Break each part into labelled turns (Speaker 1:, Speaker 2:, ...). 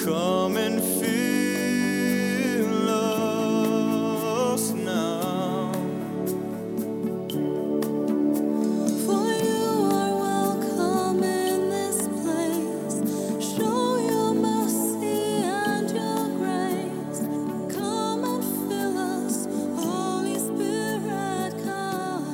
Speaker 1: Come and fill us now.
Speaker 2: For you are welcome in this place. Show your mercy and your grace. Come and fill us, Holy Spirit, come.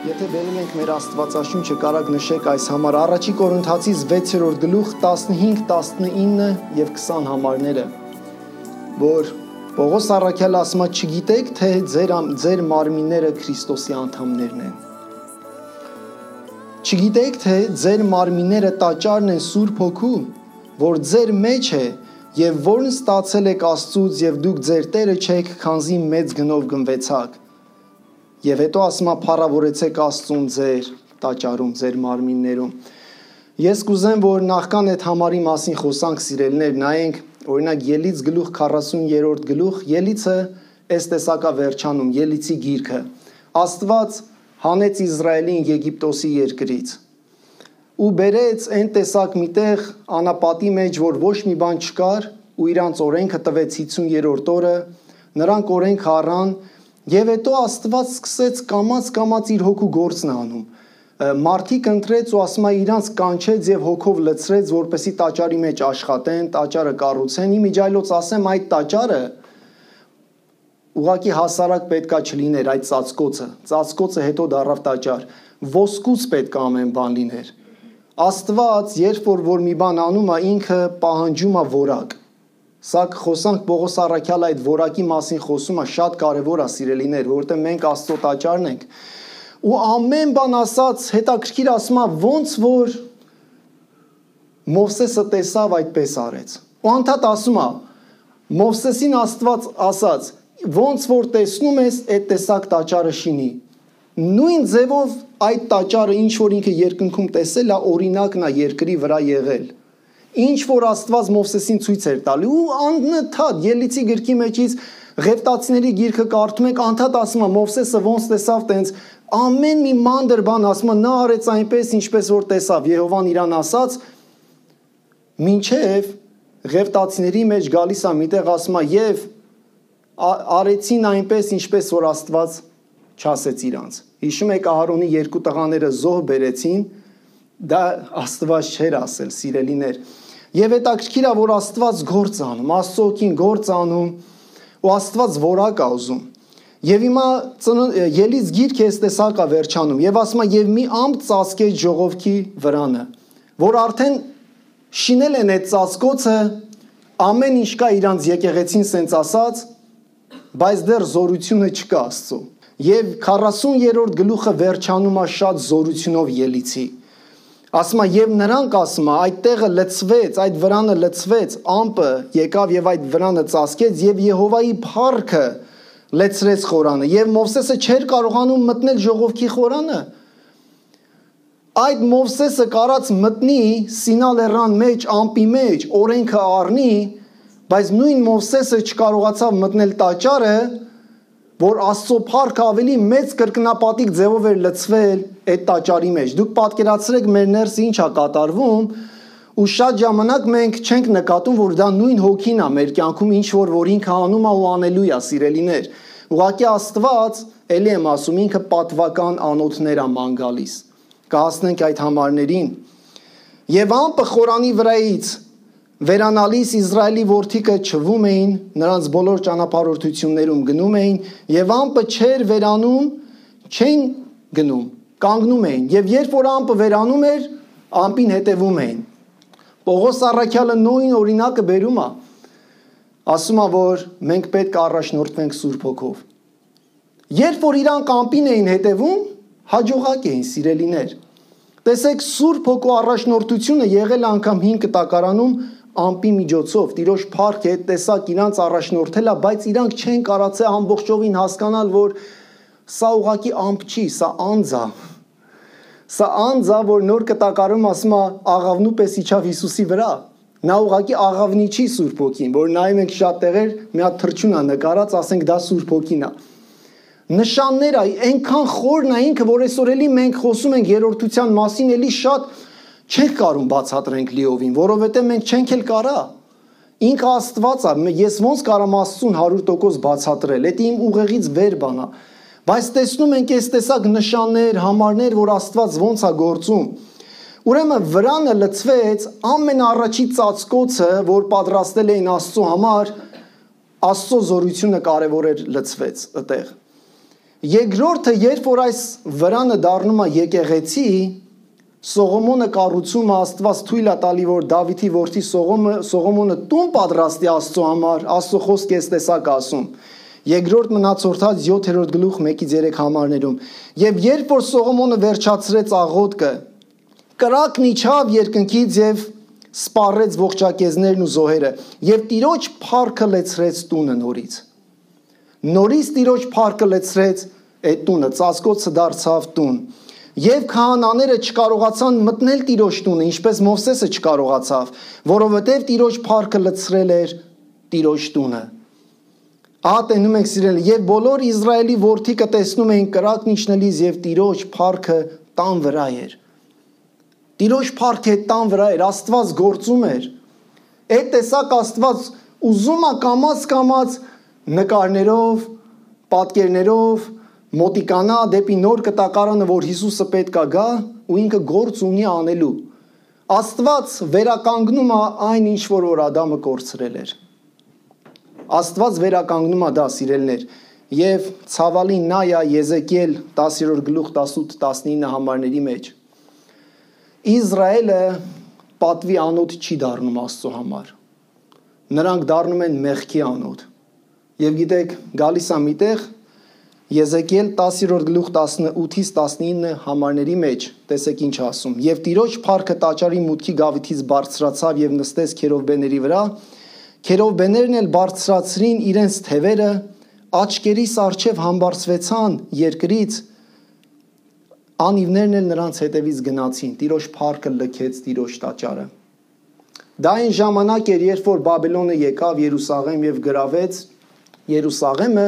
Speaker 3: Եթե բերում ենք մեր Աստվածաշունչը, կարաք նշեք այս համար Առաջի Կորինթացիս 6-րդ գլուխ 15, 19 եւ 20 համարները, որ Պողոս առաքյալը ասում է, չգիտեք, թե ձեր մարմինները Քրիստոսի անդամներն են։ Չգիտեք, թե ձեր մարմինները տաճարն են Սուրբ Հոգու, որ ձեր մեջ է եւ որն ստացել եք Աստծուց եւ դուք ձեր Տերը չեք, քանզի մեծ գնով գնվեցաք։ Եվ հետո ասում է փառավորեցեք Աստծուն ձեր տաճարում, ձեր մարմիններում։ Ես կուզեմ, որ նախքան այդ համարի մասին խոսանք, սիրելիներ, նայենք օրինակ Ելից գլուխ 40-րդ գլուխ, Ելիցը այս տեսակա վերջանում, Ելիցի գիրքը։ Աստված հանեց Իսրայելին Եգիպտոսի երկրից ու բերեց այն տեսակ միտեղ անապատի մեջ, որ ոչ մի բան չկար, ու իրանց օրենքը տվեց 50-րդ օրը, նրանք օրենք առան, եւ հետո Աստված սկսեց կամաց իր հոգու գործն անում։ Մարդիկ ընտրեց ու ասում է իրանց կանչեց եւ հոգով լցրեց, որպեսի տաճարի մեջ աշխատեն, տաճարը կառուցեն։ Իմիջայլոց ասեմ, այդ տաճարը ուղղակի հասարակ պետքա չլիներ, այդ ծածկոցը հետո դառավ տաճար։ Ոսկուց պետք է ամեն բան լիներ։ Աստված, երբ որ մի բան անում է, ինքը պահանջում է որակ։ Սա խոսանք Պողոս առաքյալը այդ որակի մասին խոսում է, շատ կարևոր է, սիրելիներ, որովհետեւ մենք Աստծո տաճարն ենք։ Ու ամեն բան ասած, հետաքրքիր ասում է, ոնց որ Մովսեսը տեսավ, այդպես արեց։ Ու անդադ ասում է, Մովսեսին Աստված ասաց, ոնց որ տեսնում ես, այդ տեսակ տաճարը շինի։ Նույն ձևով այդ տաճարը, ինչ որ ինքը երկնքում տեսել է, օրինակն է երկրի վրա եղել։ Ինչ որ Աստված Մովսեսին ցույց էր տալի ու անընդհատ Ելիցի գրքի մեջից Ղևտացիների գիրքը կարդում եք, անդադ ասում է Մովսեսը ոնց տեսավ, տենց ամեն մի մանր բան ասում է, նա արեց այնպես, ինչպես որ տեսավ, Եհովան իրան ասաց, մինչև Ղևտացիների մեջ գալիս է միտեղ ասում է եւ արեցին այնպես, ինչպես որ Աստված չասեց իրանց։ Հիշում եք Ահարոնի երկու տղաները զոհ բերեցին, դա Աստված չէր ասել, սիրելիներ։ Եվ հետաքրքիր է, որ Աստված գործ անում, Աստծո օգին գործ անում, ու Աստված որակ է ուզում։ Եվ հիմա Ելից գիրքը այս տեսակա վերջանում, եւ ասում է, եւ մի ամպ ծածկեց ժողովքի վրանը, որ արդեն շինել են այդ ծածկոցը, ամեն ինչ կա իրանց եկեղեցին սենց ասած, բայց դեռ զորությունը չկա Աստծո։ Եվ 40-րդ գլուխը վերջանում է շատ զորությունով Ելիցի։ Ասում է, եւ նրանք ասում է, այդ տեղը լցվեց, այդ վրանը լցվեց, ամպը եկավ եւ այդ վրանը ծածկեց եւ Եհովայի փառքը լեցրեց խորանը եւ Մովսեսը չէր կարողանում մտնել ժողովքի խորանը։ Այդ Մովսեսը կարած մտնի Սինա լեռան մեջ, ամպի մեջ, օրենքը առնի, բայց նույն Մովսեսը չկարողացավ մտնել տաճարը, որ Աստծո փառքը ավելի մեծ կրկնապատիկ ձևով էր լցվել այդ տաճարի մեջ։ Դուք պատկերացրեք մեր ներսը ինչ է կատարվում, ու շատ ժամանակ մենք չենք նկատում, որ դա նույն հոգին է մեր կյանքում, ինչ որ ինքը անում է ու անելու է, սիրելիներ։ Ուղղակի Աստված, ելի եմ ասում, ինքը պատվական անոթներ է ման գալիս։ Կհասնենք այդ համարներին։ Եվ ամպը խորանի վրայից վերանալիս Իսրայելի որդիքը չվում էին, նրանց բոլոր ճանապարհորդություններում գնում էին, եւ ամպը չէր վերանում, չեն գնում, կանգնում էին, եւ երբ որ ամպը վերանում էր, ամպին հետևում էին։ Պողոս առաքյալը նույն օրինակը բերում է, ասում է, որ մենք պետք է առաջնորդվենք Սուրբ Հոգով։ Երբ որ իրանք ամպին էին հետևում, հաջողակ էին, սիրելիներ։ Տեսեք, Սուրբ Հոգու առաջնորդությունը եղել անգամ 5 կտակարանում ամպի միջոցով, Տիրոջ փառք է, տեսակ իրանց առաջնորդել է, բայց իրանք չեն կարացել ամբողջովին հասկանալ, որ սա ուղղակի ամպ չի, սա անձ է։ Սա անձ է, որ նոր կտակարում ասում է աղավնու պես իջավ Հիսուսի վրա։ Նա ուղղակի աղավնի չի Սուրբ Հոգին, որ նայում ենք շատ տեղեր, մի հատ թռչուն է նկարած, ասենք դա Սուրբ Հոգին է։ նշանները այնքան խորն է ինքը, որ այսօր էլի մենք խոսում ենք երրորդության մասին, էլի շատ չենք կարող բացատրենք լիովին, որովհետև մենք չենք էլ կարա։ Ինքը Աստված է, ես ոնց կարամ Աստծուն 100% բացատրել, դա իմ ուղեղից վեր բան է։ Բայց տեսնում ենք այս տեսակ նշաններ, համարներ, որ Աստված ոնց է գործում։ Ուրեմն վրանը լցվեց ամենաառաջի ծածկոցը, որ պատրաստել էին Աստծո համար, Աստծո զորությունը կարևոր էր լցվեց այդտեղ։ Երկրորդը, երբ որ այս վրանը դառնում է եկեղեցի, Սողոմոնը կառուցումը Աստված թույլ է տալի, որ Դավիթի որդի Սողոմոնը տուն պատրաստի Աստծո համար, Աստծո խոսքը այս տեսակ ասում։ Երկրորդ մնացորդած 7-րդ գլուխ 1-3 համարներում։ Եվ երբ որ Սողոմոնը վերջացրեց աղոթքը, կրակն իջավ երկնքից եւ սպառեց ողջակեզներն ու զոհերը, եւ Տիրոջ փառքը լեցրեց տունը նորից։ Նորից Տիրոջ փառքը լեցրեց այդ տունը, ծածկոցը դարձավ տուն։ Եվ քահանաները չկարողացան մտնել Տիրոջ տունը, ինչպես Մովսեսը չկարողացավ, որովհետև Տիրոջ փառքը լցրել էր Տիրոջ տունը։ Ահա տենում ենք սիրելի, եւ բոլոր Իսրայելի որդիքը տեսնում էին կրակն իջնելիս եւ Տիրոջ փառքը տան վրա էր։ Տիրոջ փառքը տան վրա էր, Աստված գործում էր։ Այդ տեսակ Աստված ուզում է կամաց նկարներով, պատկերներով մոտիկանա դեպի նոր կտակարանը, որ Հիսուսը պետք է գա ու ինքը գործ ունի անելու։ Աստված վերականգնում է այն ինչ որ Ադամը կորցրել էր։ Աստված վերականգնում է դա, սիրելիներ, եւ ցավալի նա է Եզեկիել 10-րդ գլուխ 18-19 համարների մեջ։ Իսրայելը պատվի անոթ չի դառնում Աստծո համար։ Նրանք դառնում են մեղքի անոթ։ Եվ գիտեք, գալիս է միտեղ Եզեկիել 10-րդ գլուխ 18-ից 19 համարների մեջ, տեսեք ինչ ասում։ Եվ Տիրոջ փառքը տաճարի մուտքի գավիթից բարձրացավ եւ նստեց քերովբեների վրա, քերովբեներն էլ բարձրացրին իրենց թևերը, աչքերիս առջև համբարձվեցան երկրից, անիվներն էլ նրանց հետևից գնացին, Տիրոջ փառքը լքեց Տիրոջ տաճարը։ Դա այն ժամանակ էր, երբ որ Բաբելոնը եկավ Երուսաղեմ եւ գրավեց Երուսաղեմը,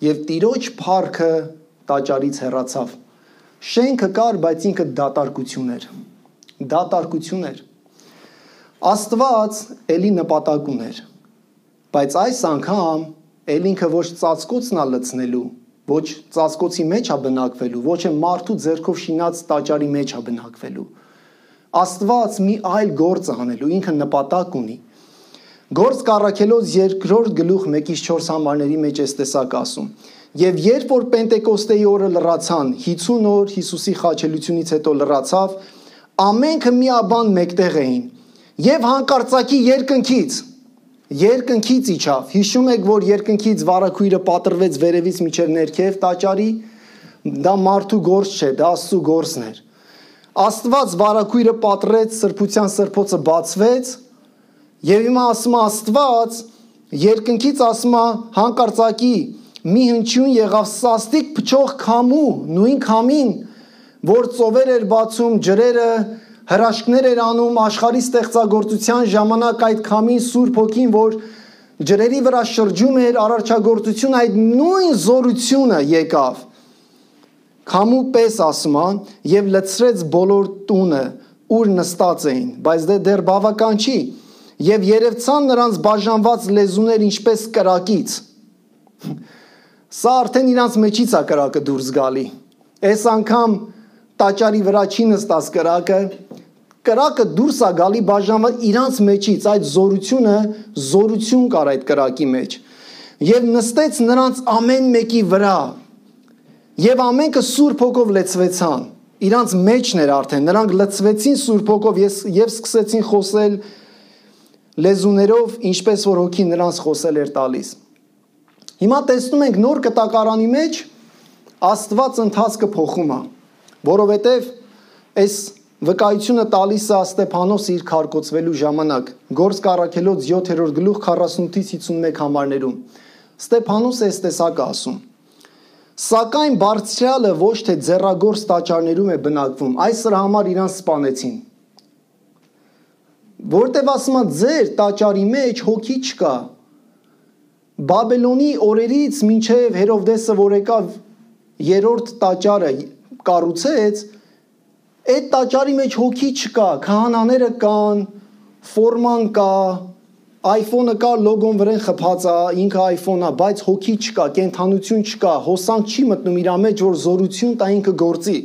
Speaker 3: եւ Տիրոջ փառքը տաճարից հեռացավ։ Շենքը կար, բայց ինքը դատարկություն էր։ Դատարկություն էր։ Աստված էլի նպատակ ուներ, բայց այս անգամ էլ ինքը ոչ ծածկոցն է լցնելու, ոչ ծածկոցի մեջ է բնակվելու, ոչ է մարդու ձեռքով շինած տաճարի մեջ է բնակվելու։ Աստված մի այլ գործ անելու, ինքը նպատակ ունի։ Գործ կառաքելոց 2-րդ գլուխ 1-4 համարների մեջ էս տեսակ ասում։ Եվ երբ որ Պենտեկոստեի օրը լրացան, 50 օր Հիսուսի խաչելությունից հետո լրացավ, ամենքը միաբան մեկտեղ էին։ Եվ հանկարծակի երկնքից իջավ։ Հիշում եք, որ երկնքից վարագույրը պատրվեց վերևից մինչև ներքև տաճարի, դա մարդու գործ չէ, դա Աստծո գործն էր։ Աստված վարագույրը պատրեց, սրբության սրբոցը բացվեց, եւ հիմա ասում է Աստված, երկնքից ասում է հանկարծակի մի հնչյուն եղավ սաստիկ փչող քամու, նույն քամին, որ ծովեր էր բացում, ջրերը, հրաշքներ էր անում աշխարհի ստեղծագործության ժամանակ այդ քամին Սուրբ Հոգին, որ ջրերի վրա շրջում էր արարչագործություն, այդ նույն զորությունը եկավ։ Քամու պես ասում է եւ լցրեց բոլոր տունը, ուր նստած էին, բայց դեռ բավական չի։ Եվ երևցան նրանց բաժանված լեզուներ ինչպես կրակից։ Սա արդեն իրանց մեջից է կրակը դուրս գալի։ Այս անգամ տաճարի վրա չի նստած կրակը դուրս է գալի բաժանված իրանց մեջից, այդ զորություն կար այդ կրակի մեջ։ Եվ նստեց նրանց ամեն մեկի վրա։ Եվ ամենքը Սուրբ Հոգով լեցվեցան։ Իրանց մեջն էր արդեն, նրանք լցվեցին Սուրբ Հոգով եւ սկսեցին խոսել լեզուներով, ինչպես որ Հոգին նրանց խոսել էր տալիս։ Հիմա տեսնում ենք նոր կտակարանի մեջ Աստված ընթացքը փոխում է, որովհետև այս վկայությունը տալիս է Ստեփանոսը իր քարկոծվելու ժամանակ, Գործք առաքելոց 7-րդ գլուխ 48-ից 51 համարներում։ Ստեփանոսը այս տեսակը ասում. Սակայն Բարձրյալը ոչ թե ձեռագործ տաճարներում է բնակվում, այս սրա համար իրան սպանեցին։ Որտեւ ասում է ձեր տաճարի մեջ հոգի չկա։ Բաբելոնի օրերից մինչև Հերովդեսը, որ եկավ երրորդ տաճարը կառուցեց, այդ տաճարի մեջ հոգի չկա, քահանաները կան, ֆորման կա, iPhone-ը կա, լոգոն վրան խփած է, ինքը iPhone-ա, բայց հոգի չկա, կենթանություն չկա, հոսանք չի մտնում իր մեջ, որ զորություն տա ինքը գործի։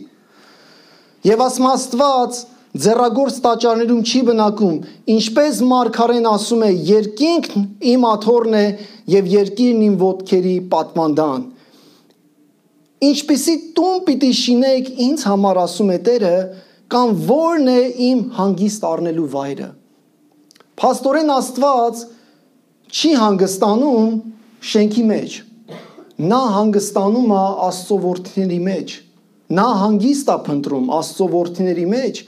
Speaker 3: Եվ ասում Աստված ձեռագործ տաճարներում չի բնակում, ինչպես մարգարեն ասում է, երկինքն իմ աթոռն է եւ երկիրն իմ ոտքերի պատվանդան։ Ինչպիսի տուն պիտի շինեք ինձ համար, ասում է Տերը, կամ որն է իմ հանգիստ առնելու վայրը։ Փաստորեն Աստված չի հանգստանում շենքի մեջ։ Նա հանգստանում է Աստծո որդիների մեջ։ Նա հանգիստ է փնտրում Աստծո որդիների մեջ,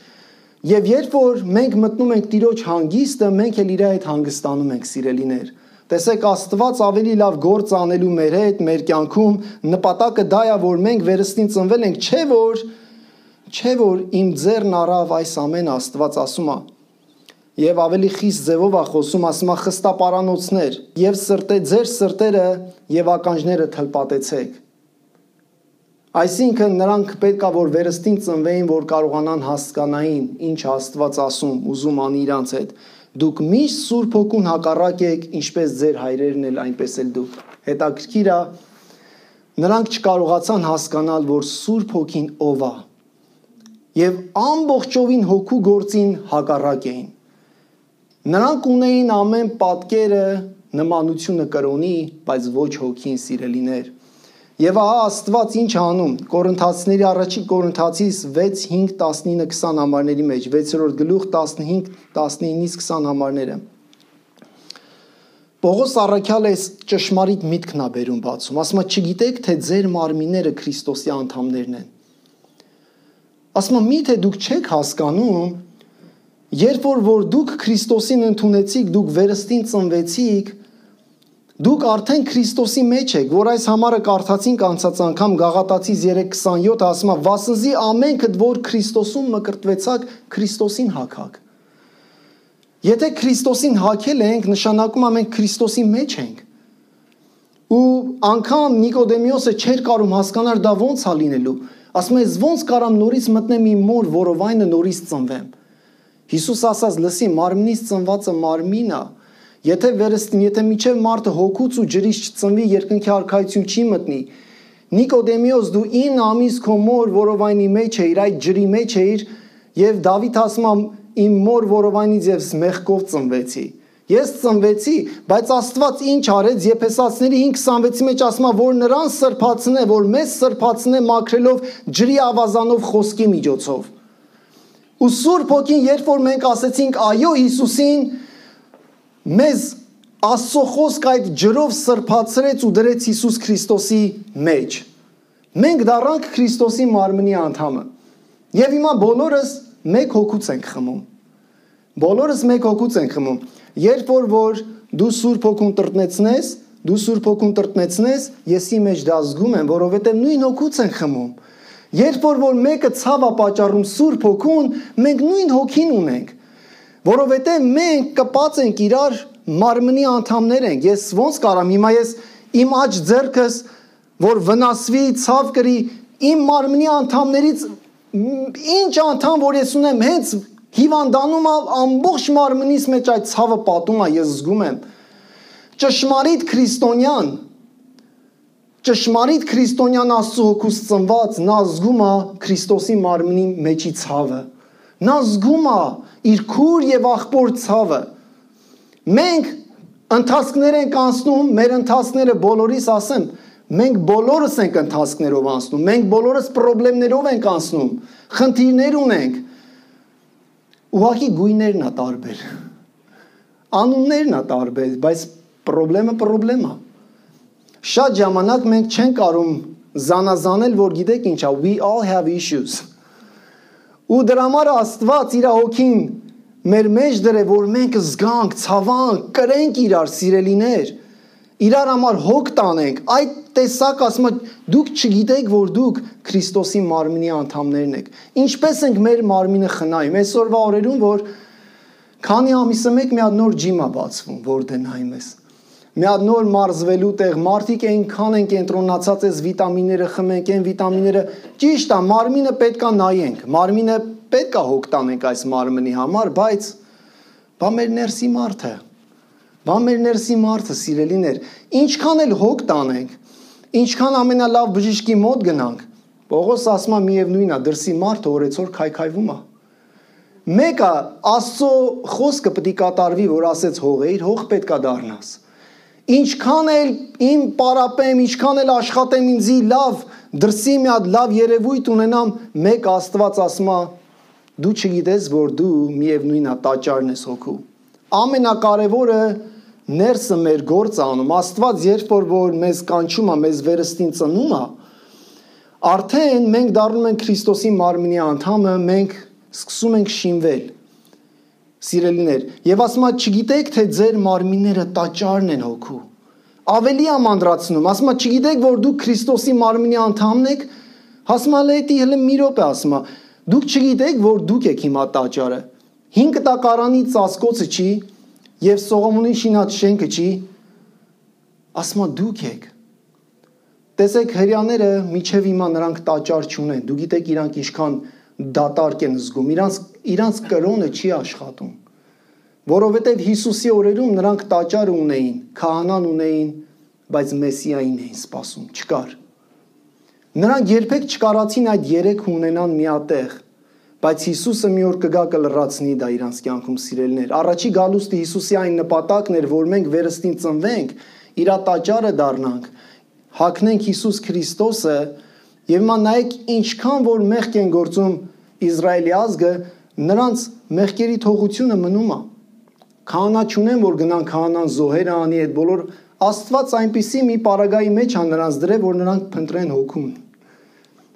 Speaker 3: եւ երբ որ մենք մտնում ենք Տիրոջ հանգիստը, մենք էլ իր հետ հանգստանում ենք, սիրելիներ։ Տեսեք, Աստված ավելի լավ գործ անելու մեր հետ, մեր կյանքում, նպատակը դա է, որ մենք վերստին ծնվել ենք, չէ որ իմ ձեռն առավ այս ամեն, Աստված ասում է։ Եվ ավելի խիստ ձևով է խոսում, ասում է խստապարանոցներ, եւ ձեր սրտերը եւ ականջները թլպատեցեք։ Այսինքն նրանք պետք է որ վերստին ծնվեին, որ կարողանան հասկանային, ինչ Աստված ասում, ուզում անի իրանց հետ։ Դուք միշտ Սուրբ Հոգուն հակառակ եք, ինչպես ձեր հայրերն էլ, այնպես էլ դուք։ Հետաքրքիր է, նրանք չկարողացան հասկանալ, որ Սուրբ Հոգին ով է։ Եվ ամբողջովին հոգու գործին հակառակ էին։ Նրանք ունեին ամեն պատկերը, նմանությունը կրոնի, բայց ոչ հոգին, սիրելիներ։ Եվ ահա Աստված ինչ անում, Կորինթացիների առաջին Կորինթացիս 6:5-19-20 համարների մեջ, 6-րդ գլուխ 15-19-20 համարները։ Պողոս առաքյալը այս ճշմարիտ միտքն է բերում բացում, ասում է, չգիտեք, թե ձեր մարմինները Քրիստոսի անդամներն են։ Ասում է, միթե դուք չեք հասկանում, երբ որ դուք Քրիստոսին ընդունեցիք, դուք վերստին ծնվեցիք, դուք արդեն Քրիստոսի մեջ եք, որ այս համարը կարդացինք անցած անգամ Գաղատացիս 3:27 ասում է, վասնզի ամենքդ որ Քրիստոսում մկրտվեցաք, Քրիստոսին հագաք։ Եթե Քրիստոսին հագել ենք, նշանակում է մենք Քրիստոսի մեջ ենք։ Ու անգամ Նիկոդեմիոսը չէր կարող հասկանալ դա ոնց է լինելու։ Ասում է, ոնց կարամ նորից մտնեմ իմ մոր որովայնը նորից ծնվեմ։ Հիսուս ասաց, լսի, մարմնից ծնվածը մարմին է։ Եթե միջև մարդը հոգուց ու ջրից չծնվի, երկնքի արքայություն չի մտնի։ Նիկոդեմիոս, դու 9 ամիս քո մոր որովայնի մեջ էիր, այդ ջրի մեջ էիր, եւ Դավիթ ասում է, իմ մոր որովայնից ես մեղքով ծնվեցի։ Ես ծնվեցի, բայց Աստված ինչ արեց, Եփեսացիների 5:26-ի մեջ ասում է, որ նրան սրբացնե, որ մեզ սրբացնե մաքրելով ջրի ավազանով խոսքի միջոցով։ Ու Սուրբ Հոգին, երբ որ մենք ասեցինք այո Հիսուսին, մեզ Աստծո խոսքը այդ ջրով սրբացրեց ու դրեց Հիսուս Քրիստոսի մեջ։ Մենք դառանք Քրիստոսի մարմնի անդամը։ Եվ հիմա բոլորս մեկ հոգուց ենք խմում։ Բոլորս մեկ հոգուց ենք խմում։ Երբ որ դու Սուրբ Հոգուն տրտնեցնես, եսի մեջ դա զգում եմ, որովհետև նույն հոգուց ենք խմում։ Երբ որ մեկը ցավ է պատճառում Սուրբ Հոգուն, մենք նույն հոգին ունենք, որովհետև մենք կպած ենք իրար մարմնի անդամներ ենք։ Ես ոնց կարամ հիմա ես իմ աջ ձեռքս, որ վնասվի, ցավ կրի, իմ մարմնի անդամներից ինչ անդամ որ ես ունեմ, հենց հիվանդանում ամբողջ մարմնիս մեջ այդ ցավը պատում է, ես զգում եմ։ Ճշմարիտ քրիստոնյան Աստծո հոգուց ծնված, նա զգում է Քրիստոսի մարմնի մեջի ցավը։ Նա զգում է իր քուր եւ աղբոր ցավը։ Մենք ընթացքներ ենք անցնում, մեր ընթացքները բոլորիս ասեմ, մենք բոլորս ենք ընթացքներով անցնում, մենք բոլորս խնդիրներով ենք անցնում, խնդիրներ ունենք։ Ուղղակի գույներն է տարբեր։ Անուններն է տարբեր, բայց խնդրեմը է։ Շատ ժամանակ մենք չենք կարող զանազանել, որ գիտեք ինչ է, we all have issues։ Ու դրա համար Աստված իր հոգին մեր մեջ դրե, որ մենք զգանք, ցավանք, կրենք իրար, սիրելիներ, իրար համար հոգ տանենք։ Այդ տեսակ ասում եմ, դուք չգիտեք, որ դուք Քրիստոսի մարմնի անդամներն եք։ Ինչպես ենք մեր մարմինը խնայում։ Այսօրվա օրերում, որ քանի ամիսը մեկ մի հատ նոր ջիմ է բացվում, որ դնայում ես։ մի հատ նոր մարզվելու տեղ, մարդիկ այնքան են կենտրոնացած այս վիտամինները խմենք, այն վիտամինները, ճիշտ է, մարմինը պետքա նայենք, մարմինը պետքա հոգ տանենք այս մարմնի համար, բայց բա մեր ներսի մարդը, սիրելիներ, ինչքան էլ հոգ տանենք, ինչքան ամենալավ բժիշկի մոտ գնանք, Պողոս ասում է միևնույն է, դրսի մարդը օրեցօր քայքայվում է։ Մեկը Աստծո խոսքը պետք է կատարվի, որ ասեց հողեիր, հող պետքա դառնաս։ Ինչքան էլ իմ պարապեմ, ինչքան էլ աշխատեմ ինձի լավ, դրսի մի հատ լավ երևույթ ունենամ, մեկ Աստված ասում է, դու չգիտես, որ դու միևնույն է տաճարն ես հոգու։ Ամենակարևորը ներսը մեր գործ անում, Աստված երբ որ մեզ կանչում է, մեզ վերստին ծնում է, արդեն մենք դառնում ենք Քրիստոսի մարմնի անդամը, մենք սկսում ենք շինվել։ Սիրելիներ, եւ ասում է, չգիտեք, թե ձեր մարմինները տաճարն են հոգու։ Ավելի ամանդրացնում, ասում է, չգիտեք, որ դուք Քրիստոսի մարմնի անդամն եք, ասում է, լեյտի հələ մի րոպե ասում է, դուք չգիտեք, որ դուք եք հիմա տաճարը։ 5 տակարանի ծածկոցը չի եւ Սողոմոնի շինած շենքը չի, ասում է, դուք եք։ Տեսեք, հрьяաները միջև հիմա նրանք տաճար չունեն։ Դու գիտեք իրանք ինչքան դատարկ են զգում, իրանց կրոնը չի աշխատում, որովհետև Հիսուսի օրերում նրանք տաճարը ունեին, քահանան ունեին, բայց Մեսիային էին սպասում, չկար։ Նրանք երբեք չկարացին այդ երեքը ունենան միատեղ, բայց Հիսուսը մի օր կգա կլրացնի դա իրանց կյանքում, սիրելիներ։ Առաջի գալուստի Հիսուսի այն նպատակն էր, որ մենք վերստին ծնվենք, իր տաճարը դառնանք, հագնենք Հիսուս Քրիստոսը, եւ հիմա նայեք ինչքան որ մեղք են գործում Իսրայելի ազգը, նրանց մեղքերի թողությունը մնում է։ Քահանա չունեն, որ գնան քահանան զոհեր անի, այդ բոլոր Աստված այնպիսի մի պարագայի մեջ է նրանց դրել, որ նրանք փնտրեն հոգուն,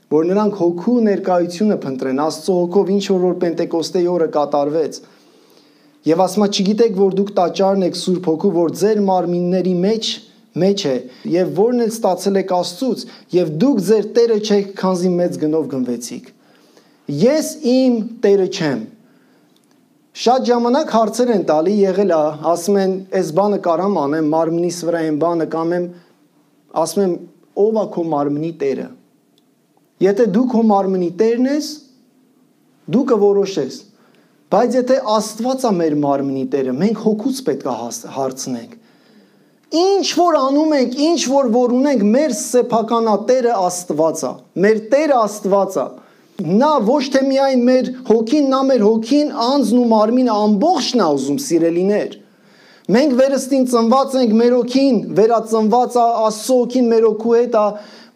Speaker 3: որ նրանք հոգու ներկայությունը փնտրեն, Աստծո հոգով ինչ որ Պենտեկոստեի օրը կատարվեց։ Եվ ասում է, չգիտեք, որ դուք տաճարն եք Սուրբ Հոգու, որ ձեր մարմինների մեջ է, եւ որն էլ ստացել եք Աստծուց, եւ դուք ձեր Տերը չեք, քանզի մեծ գնով գնվեցիք։ Ես իմ Տերը չեմ։ Շատ ժամանակ հարցեր են տալի, եղել է, ասում են, այս բանը կարամ անեմ, մարմնիս վրա այն բանը կամ եմ, ասում եմ, ով է քո մարմնի Տերը։ Եթե դու քո մարմնի Տերն ես, դու կորոշես։ Բայց եթե Աստված է մեր մարմնի Տերը, մենք հոգուց պետք է հարցնենք։ Ինչ որ անում ենք, ինչ որ ունենք, մեր սեփականատերը Աստված է, մեր Տերը Աստված է։ Նա ոչ թե միայն մեր հոգին, նա մեր հոգին, անձն ու մարմինը ամբողջն է ուզում, սիրելիներ։ Մենք վերստին ծնված ենք, մեր հոգին վերածնված է, Աստծո հոգին մեր հոգու հետ է,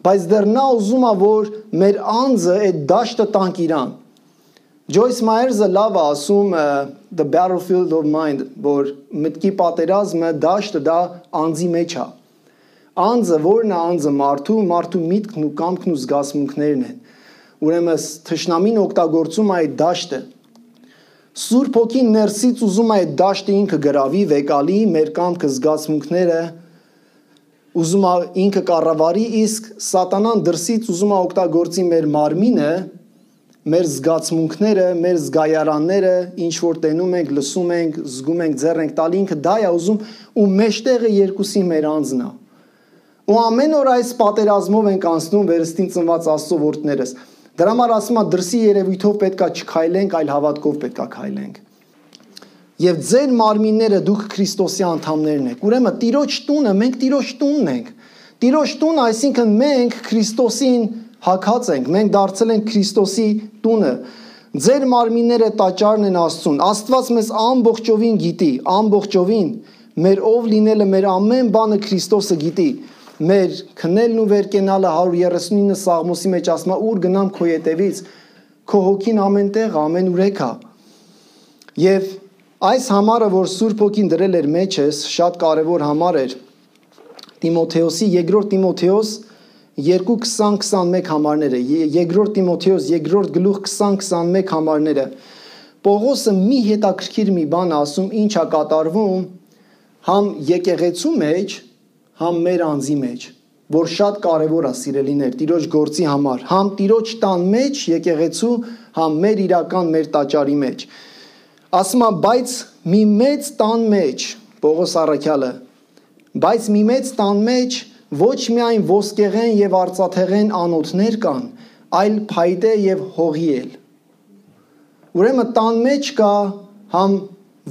Speaker 3: բայց դեռ նա ուզում է, որ մեր անձը այդ դաշտը տանք իրան։ Ջոյս Մայերսը լավ է ասում The Battlefield of Mind, որ մտքի պատերազմը դաշտը դա անձի մեջ է։ Անձը որն է անձը մարդու միտքն ու կամքն ու զգացմունքներն են։ Ուրեմն թշնամին օգտագործում է այդ դաշտը։ Սուրբ Հոգին ներսից ուզում է այդ դաշտը ինքը գրավի, վեկալի, մեր կամքը զգացմունքները ուզում է ինքը կառավարի, իսկ սատանան դրսից ուզում է օգտագործի մեր մարմինը, մեր զգացմունքները, մեր զգայարանները, ինչ որ տենում ենք, լսում ենք, զգում ենք, ձեռ ենք տալի, ինքը դա է ուզում ու մեջտեղը երկուսի մեր անձն է։ Ու ամեն օր այս պատերազմով ենք անցնում վերստին ծնված Աստծո որդներս։ Դրա համար ասում է դրսի երևույթով պետքա չքայլենք, այլ հավատքով պետքա քայլենք։ Եվ ձեր մարմինները դուք Քրիստոսի անդամներն եք։ Ուրեմն Տիրոջ տունը, մենք Տիրոջ տունն ենք։ Տիրոջ տունը, այսինքն մենք Քրիստոսին հագած ենք, մենք դարձել ենք Քրիստոսի տունը։ Ձեր մարմինները տաճարն են Աստծուն։ Աստված մեզ ամբողջովին գիտի, ամբողջովին մեր ով լինելը, մեր ամեն բանը Քրիստոսը գիտի։ Մեր քնելն ու վերկենալը 139 Սաղմոսի մեջ ասում է, ուր գնամ քո ետևից, քո հոգին ամենտեղ, ամենուրեք է։ Եվ այս համարը, որ Սուրբ Հոգին դրել էր մեջս, շատ կարևոր համար էր։ Տիմոթեոսի, երկրորդ Տիմոթեոս 2:20-21 համարները, երկրորդ Տիմոթեոս 2-րդ գլուխ 20-21 համարները։ Պողոսը մի հետաքրքիր մի բան ասում, ինչ է կատարվում համ եկեղեցու մեջ, համ մեր անձի մեջ, որ շատ կարևոր է, սիրելիներ, Տիրոջ գործի համար, համ Տիրոջ տան մեջ եկեղեցու, համ մեր իրական մեր տաճարի մեջ։ Ասում է, բայց մի մեծ տան մեջ, Պողոս առաքյալը, Բայց մի մեծ տան մեջ ոչ միայն ոսկեղեն եւ արծաթեղեն անոթներ կան, այլ փայտե եւ հողի էլ։ Ուրեմն տան մեջ կա համ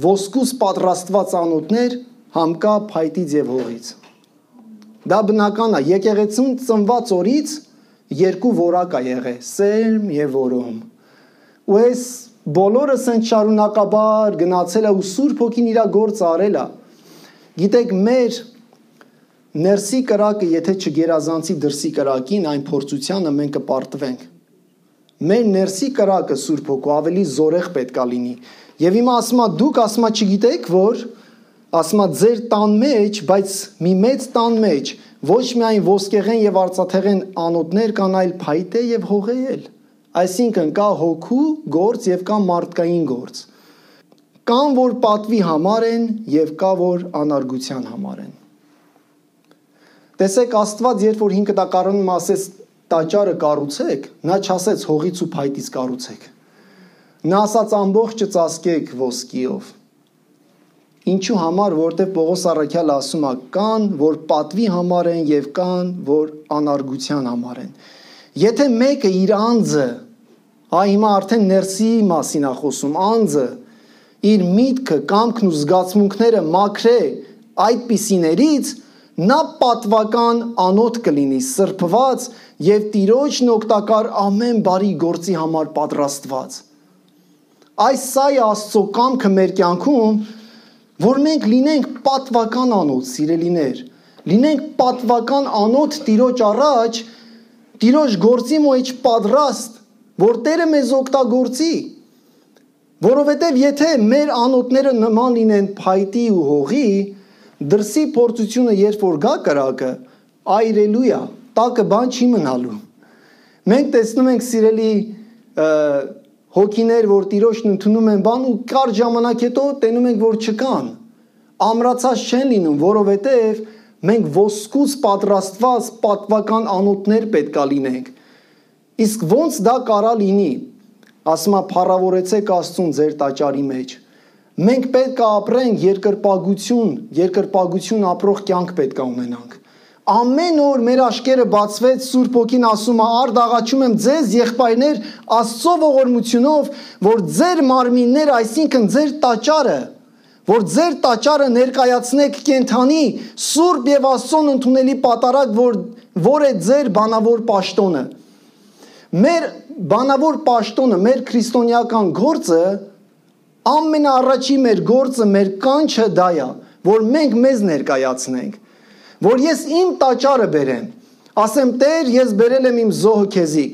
Speaker 3: ոսկուց պատրաստված անոթներ, համ կա փայտից եւ հողից։ Դա բնական է, եկեղեցուն ծնված օրից երկու որակ է եղել՝ սերմ եւ որոմ։ Ու այս բոլորս են շարունակաբար գնացել է ու Սուրբ Հոգին իր գործը արել է։ Գիտեք, մեր ներսի կրակը, եթե չգերազանցի դրսի կրակին, այն փորձությանը մենք կպարտվենք։ Մեր ներսի կրակը Սուրբ Հոգու ավելի զորեղ պետք է լինի։ Եվ հիմա ասма դուք ասма չգիտեք, որ ասма ձեր տան մեջ, բայց մի մեծ տան մեջ ոչ միայն ոսկեղեն եւ արծաթեղեն անոթներ կան, այլ փայտե եւ հողել։ Այսինքն կա հոգու գործ եւ կա մարդկային գործ։ Կան որ պատվի համար են եւ կա որ անարգության համար են։ Տեսեք, Աստված երբ որ 5 տակառանում ասեց տաճարը կառուցեք, նա չասեց հողից ու փայտից կառուցեք։ Նա ասաց ամբողջը ծածկեք ոսկիով։ Ինչու համար, որտեղ Պողոս առաքյալը ասում է, կան որ պատվի համար են եւ կան որ անարգության համար են։ Եթե մեկը իր անձը, հիմա արդեն ներսի մասին է խոսում, անձը իր միտքը, կամքն ու զգացմունքները մաքրե այդպիսիներից, նա պատվական անոթ կլինի, սրբված եւ Տիրոջն օգտակար ամեն բարի գործի համար պատրաստված։ Այս սա է Աստծո կամքը մեր կյանքում, որ մենք լինենք պատվական անոթ, սիրելիներ, լինենք պատվական անոթ Տիրոջ առաջ, Տիրոջ գործի մեջ պատրաստ, որ Տերը մեզ օգտագործի, որովհետև եթե մեր անոթները նման լինեն փայտի ու հողի, դրսի փորձությունը երբ որ գա կրակը, այրելույա, տակը բան չի մնալու։ Մենք տեսնում ենք սիրելի հոգիներ, որ Տիրոջն ընդունում են բան ու կարճ ժամանակ հետո տենում ենք, որ չկան, ամրացած չեն լինում, որովհետև մենք ոսկուց պատրաստված պատվական անոթներ պետք է լինենք։ Իսկ ոնց դա կարա լինի, ասում է փառավորեցեք Աստծուն ձեր տաճարի մեջ։ Մենք պետք է ապրենք երկրպագություն ապրող կյանք պետք է ունենանք։ Ամեն օր մեր աշկերը բացվեց, Սուրբ Հոգին ասում է, արդ աղաչում եմ ձեզ եղբայրներ Աստծո ողորմությունով, որ ձեր մարմինները, այսինքն ձեր տաճարը, որ ձեր տաճարը ներկայացնեք կենթանի, սուրբ եւ Աստծուն ընդունելի պատարագ, որ է ձեր բանավոր պաշտոնը։ Մեր բանավոր պաշտոնը, մեր քրիստոնեական գործը, ամենաառաջի մեր գործը, մեր կանչը դա է, որ մենք մեզ ներկայացնենք, որ ես իմ տաճարը բերեմ, ասեմ Տեր, ես բերել եմ իմ զոհը քեզի։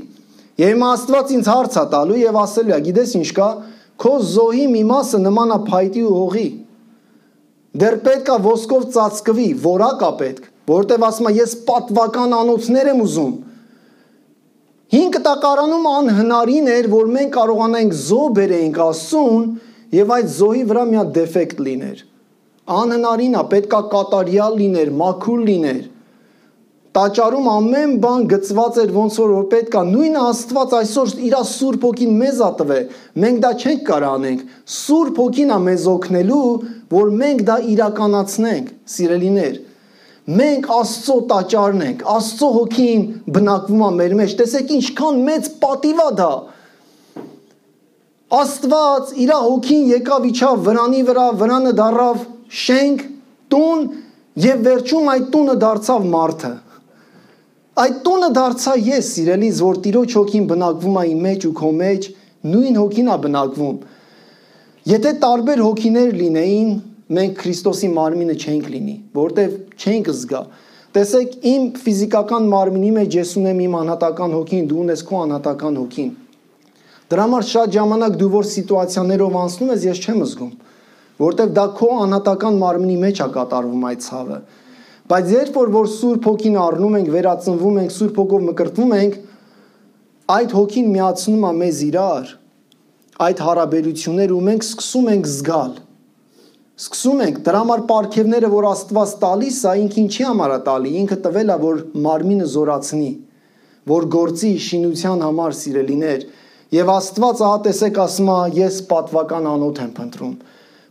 Speaker 3: Եվ հիմա Աստված ինձ հարց է տալու եւ ասելու է, գիտես ինչ կա, քո զոհի մի մասը նման է փայտի ու հողի։ Դեռ պետք է ոսկով ծածկվի, որակ է պետք, որովհետեւ ասում է, ես պատվական անոթներ եմ ուզում։ 5 տակարանում անհնարին էր, որ մենք կարողանայինք զոհ բերեինք Աստծուն եւ այդ զոհի վրա մի հատ դեֆեկտ լիներ։ Անհնարին է, պետք է կատարյալ լիներ, մաքուր լիներ։ Տաճարում ամեն բան գծված էր ոնց որ պետք է, նույնը Աստված այսօր իր Սուրբ Հոգին մեզ ա տվել, մենք դա չենք կարող անենք։ Սուրբ Հոգին ա մեզ օգնելու, որ մենք դա իրականացնենք, սիրելիներ։ Մենք Աստծո տաճարն ենք, Աստծո Հոգին բնակվում է մեր մեջ։ Տեսեք ինչքան մեծ պատիվ է դա։ Աստված իր Հոգին եկավ իջավ վրանի վրա, վրանը դառավ շենք, տուն եւ վերջում այդ տունը դարձավ մարդը։ Այդ տունը դարձա ես, սիրելիս, որ Տիրոջ Հոգին բնակվում է իմ մեջ ու քո մեջ, նույն Հոգին է բնակվում։ Եթե տարբեր հոգիներ լինեին, մենք Քրիստոսի մարմինը չենք լինի, որտեվ չենք զգա։ Տեսեք, իմ ֆիզիկական մարմինի մեջ ես ունեմ իմ անհատական հոգին, դու ունես քո անհատական հոգին։ Դրա համար շատ ժամանակ դու որ սիտուացիաներով անցնում ես, ես չեմ զգում, որտեվ դա քո անհատական մարմինի մեջ է կատարվում այդ ցավը։ Բայց երբ որ Սուրբ Հոգին առնում ենք, վերածնվում ենք, Սուրբ Հոգով մկրտվում ենք, այդ Հոգին միացնում է մեզ իրար, այդ հարաբերությունները ու մենք սկսում ենք զգալ։ Սկսում ենք, դրա համար պարգևները, որ Աստված տալիս է, ինքը ինչի համար է տալի, ինքը տվել է, որ մարմինը զորացնի, որ գործի շինության համար, սիրելիներ, եւ Աստված ահա տեսեք ասում է, ես պատվական անոթ եմ փնտրում։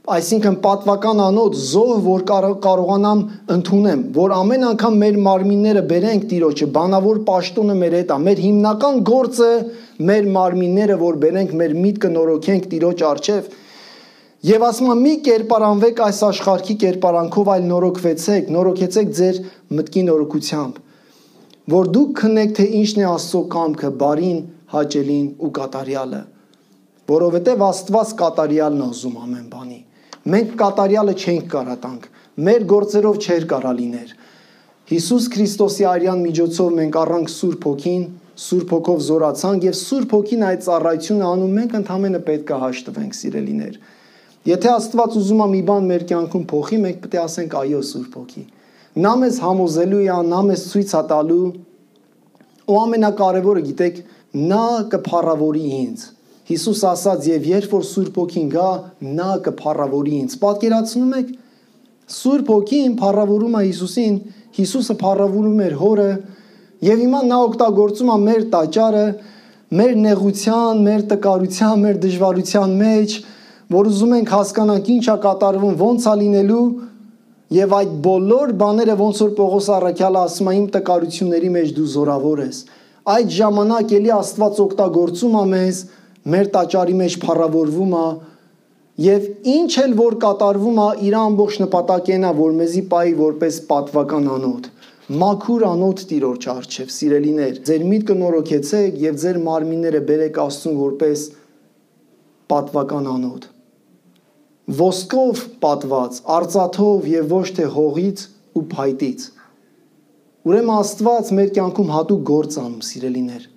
Speaker 3: Այսինքն պատվական անոթ զոհ, որ կարողանամ ընդունեմ, որ ամեն անգամ մեր մարմինները բերենք Տիրոջը, բանավոր պաշտոնը մեր հետ է, մեր հիմնական գործը մեր մարմինները, որ բերենք, մեր միտքը նորոգենք Տիրոջ առջև, եւ ասում եմ մի կերպարանվեք այս աշխարհի կերպարանքով, այլ նորոգեցեք ձեր մտքի նորոգությամբ, որ դուք քննեք, թե ինչն է Աստծո կամքը, բարին, հաճելին ու կատարյալը, որովհետեւ Աստված կատարյալն է ուզում ամեն բանի։ Մենք կատարյալը չենք կարա տանք, մեր գործերով չէր կարա լիներ։ Հիսուս Քրիստոսի արյան միջոցով մենք առանք Սուրբ Հոգին, Սուրբ Հոգով զորացանք եւ Սուրբ Հոգին այդ ծառայությունը անում, մենք ընդհանրապես պետք է հաշտվենք, սիրելիներ։ Եթե Աստված ուզում է մի բան մեր կյանքում փոխի, մենք պետք է ասենք այո Սուրբ Հոգի։ Նա մեզ համոզելու է, նա մեզ ցույց է տալու, ու ամենակարևորը գիտեք, նա կփառավորի ինձ։ Հիսուս ասաց, եւ երբ որ Սուրբ Հոգին գա, նա կփառավորի ինձ։ Պատկերացնում եք, Սուրբ Հոգին փառավորում է Հիսուսին, Հիսուսը փառավորում էր Հորը, եւ հիմա նա օգտագործում է մեր տաճարը, մեր նեղության, մեր տկարության, մեր դժվարության մեջ, որ ուզում ենք հասկանանք ինչ է կատարվում, ոնց է լինելու, եւ այդ բոլոր բաները ոնց որ Պողոս առաքյալը ասում է, իմ տկարությունների մեջ դու զորավոր ես։ Այդ ժամանակ էլի Աստված օգտագործում է մեզ, մեր տաճարի մեջ փառավորվում է, եւ ինչ էլ որ կատարվում է, իր ամբողջ նպատակն է, որ մեզի պայի որպես պատվական անոթ, մաքուր անոթ Տիրոջ առջև, սիրելիներ, ձեր միտքը նորոգեցեք եւ ձեր մարմինները բերեք Աստծուն որպես պատվական անոթ, ոսկով պատված, արծաթով եւ ոչ թե հողից ու փայտից։ Ուրեմն Աստված մեր կյանքում հատուկ գործ անում, սիրելիներ։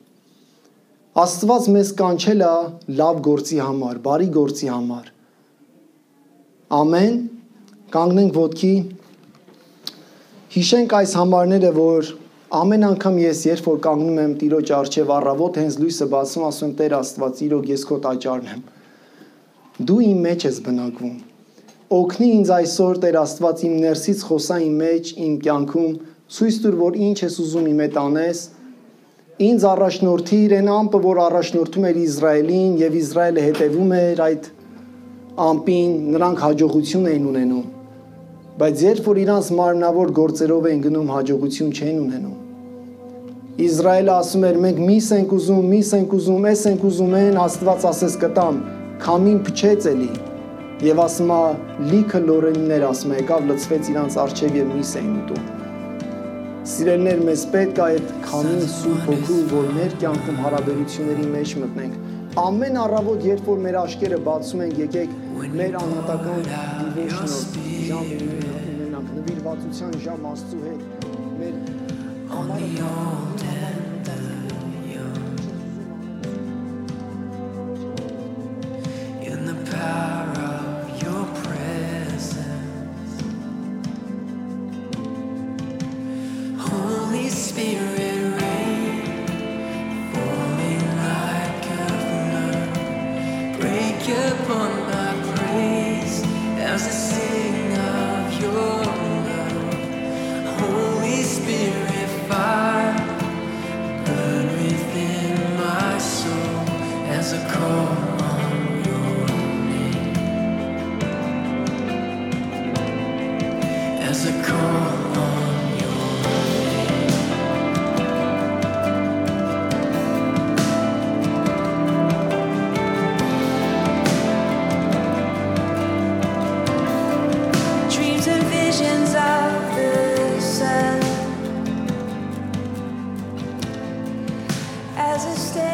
Speaker 3: Աստված մեզ կանչել է լավ գործի համար, բարի գործի համար։ Ամեն, կանգնենք ոտքի, հիշենք այս համարները, որ ամեն անգամ ես երբ որ կանգնում եմ Տիրոջ առջև առավոտ հենց լույսը բացում, ասում եմ Տեր Աստված, իրոք ես քո տաճարն եմ։ Դու իմ մեջ ես բնակվում։ Օգնի ինձ այսօր Տեր Աստված իմ ներսից խոսա իմ մեջ, իմ կյանքում, ցույց տուր, որ ինչ ես ուզում իմ հետ անես։ Ինձ առաջնորդիր այն ամպը, որ առաջնորդում էր Իսրայելին եւ Իսրայելը հետևում էր այդ ամպին, նրանք հաջողություն էին ունենում, բայց երբ որ իրանց մարմնավոր գործերով էին գնում, հաջողություն չեն ունենում։ Իսրայելը ասում էր մենք միս ենք ուզում, էս ենք ուզում են, Աստված ասես կտամ, քամին փչեց էլի եւ ասում է լիքը լորենիներ, ասում է եկավ լցվեց իրանց առջև եւ միս էին ուտում։ Սիրելիներ, մեզ պետք է այդ քամին Սուրբ Հոգու, որ մեր կյանքում հարաբերությունների մեջ մտնենք։ Ամեն առավոտ, երբ որ մեր աչքերը բացում ենք, եկեք մեր անհատական devotional ժամ ունենանք, նվիրվածության ժամ Աստծու հետ, մեր
Speaker 2: As I stay